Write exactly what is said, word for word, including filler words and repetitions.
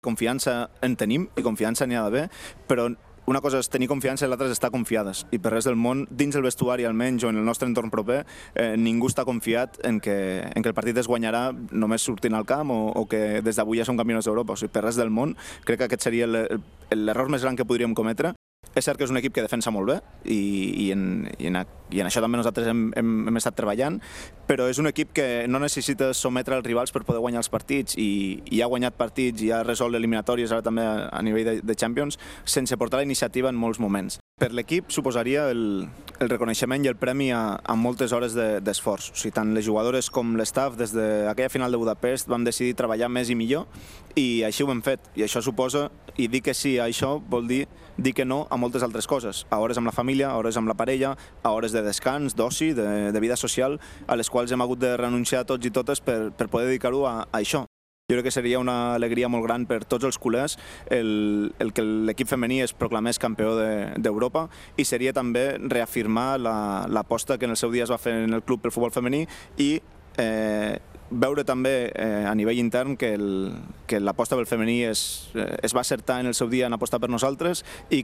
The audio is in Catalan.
Confiança en tenim i confiança n'hi ha d'haver, però una cosa és tenir confiança i l'altra és estar confiades. I per res del món, dins el vestuari almenys o en el nostre entorn proper, eh, ningú està confiat en que, en que el partit es guanyarà només sortint al camp o, o que des d'avui ja som campionats d'Europa. O sigui, per res del món, crec que aquest seria l'error més gran que podríem cometre. És cert que és un equip que defensa molt bé i, i, en, i, en, i en això també nosaltres hem, hem, hem estat treballant, però és un equip que no necessita sometre els rivals per poder guanyar els partits i, i ha guanyat partits i ha resolt eliminatòries ara també a, a nivell de, de Champions sense portar la iniciativa en molts moments. Per l'equip suposaria el, el reconeixement i el premi a, a moltes hores d'esforç. De, o sigui, tant les jugadores com l'estaf des d'aquella final de Budapest vam decidir treballar més i millor i així ho hem fet. I això suposa, i dir que sí a això vol dir dir que no a moltes altres coses, a hores amb la família, a hores amb la parella, a hores de descans, d'oci, de, de vida social, a les quals hem hagut de renunciar tots i totes per, per poder dedicar-ho a, a això. Jo crec que seria una alegria molt gran per tots els culers el, el que l'equip femení es proclamés campió d'Europa i seria també reafirmar l'aposta que en el seu dia es va fer en el club pel futbol femení i eh, veure també eh, a nivell intern que l'aposta pel femení es, eh, es va acertar en el seu dia en apostar per nosaltres i